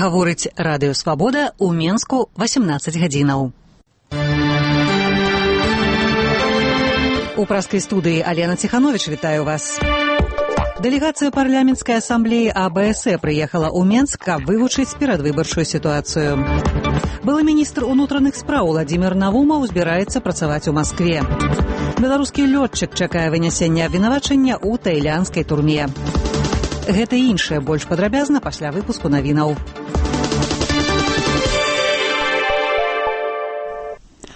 Гаворыць радыё Свабода ў Менску 18 гадзінаў. У праскай студыі Алена Ціхановіч вітаю вас. Дэлегацыя парламенцкай асамблеі АБСЭ прыехала ў Менск, каб вывучыць перадвыбарчую сітуацыю. Былы міністр унутраных спраў Владзімір Навумаў збіраецца працаваць у Маскве. Беларускі лётчык чакае вынясення абвінавачання ў таілянскай турме. Гэта і іншае больш падрабязна пасля выпуску навінаў.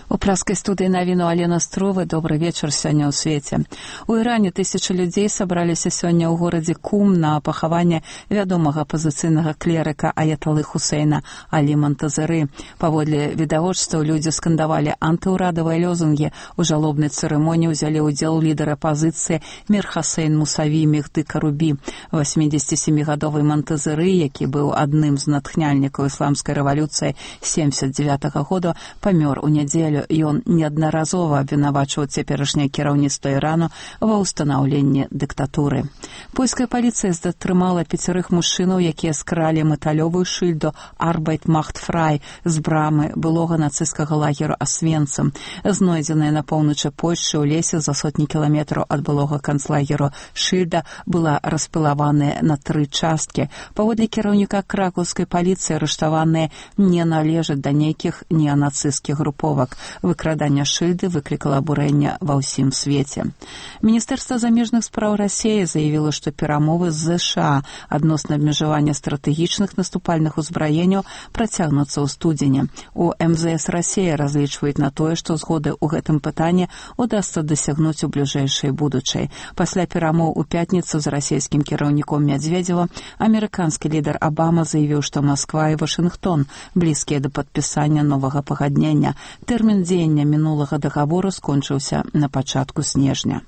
У праскай студыі навіну Алена Строва. Добры вечар сёння ў свеце. У Іране тысячы людзей сабраліся сёння ў горадзе Кум на пахаванне вядомага апазіцыйнага клерыка аяталы Хусейна Алі Монтазеры. Паводле відавочцаў людзі скандавалі антыўрадавыя лозунгі. У жалобнай цырымоніі ўзялі ўдзел лідар апазіцыі Мір Хасейн Мусаві Мехды Карубі. 87-гадовы Монтазеры, які быў адным з натхняльнікаў ісламскай рэвалюцыі 79-го года, памёр у нядзелю. Ён неаднаразова абвінавачваў цяперашняе кіраўніцтва Ірану ва ўстанаўленні дыктатуры. Польская паліцыя затрымала 5 мужчынаў, якія скралі металёвую шыльду «Arbeit macht frei» з брамы былога нацысцкага лагеру Освенцим. Знойдзеная на поўначы Польшчы ў лесе за сотні кіламетраў ад былога канцлагеру шыльда была распілаваная на 3 часткі. Паводле кіраўніка кракаўскай паліцыі арыштаваныя не належаць да нейкіх неанацысцкіх груповак. Выкрадання шыльды выклікала абурэнне ва ўсім свеце. Міністэрства замежных спраў Расіі заявіла, што перамовы з ЗША адносна абмежавання стратэгічных наступальных узбраенняў працягнуцца ў студзені. У МЗС Расіі разлічваюць на тое, што згоды ў гэтым пытанні удасца дасягнуць у бліжэйшай будучай. Пасля перамоў у пятніцу з расійскім кіраўніком Мядзведзева амерыканскі лідар Абама заявіў, што Масква і Вашынгтон блізкія да падпісання новага пагаднення. Тэрмін дзеяння мінулага дагавору скончыўся на пачатку снежня.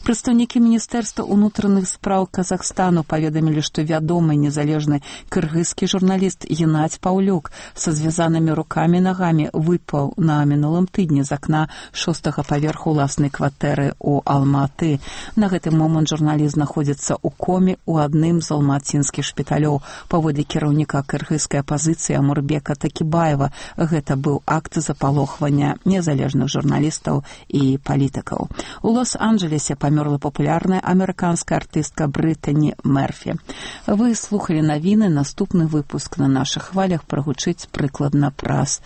Прадстаўнікі міністэрства ўнутраных спраў Казахстану паведамілі, што вядомы незалежны кыргызскі журналіст Геннадзь Паўлюк са звязанымі рукамі і нагамі выпаў на мінулым тыдні з акна 6-го паверху ўласнай кватэры ў Алматы. На гэты момант журналіст знаходзіцца ў коме ў адным з алматынскіх шпіталёў. Паводле кіраўніка кыргызскай апазіцыі Амурбека Такібаева, гэта быў акт запалохвання незалежных журналістаў і палітыкаў. У Лос-Анджелесе памёрла папулярная амерыканская артыстка Брытані Мерфі. Вы слухалі навіны, наступны выпуск на нашых хвалях прагучыць прыкладна праз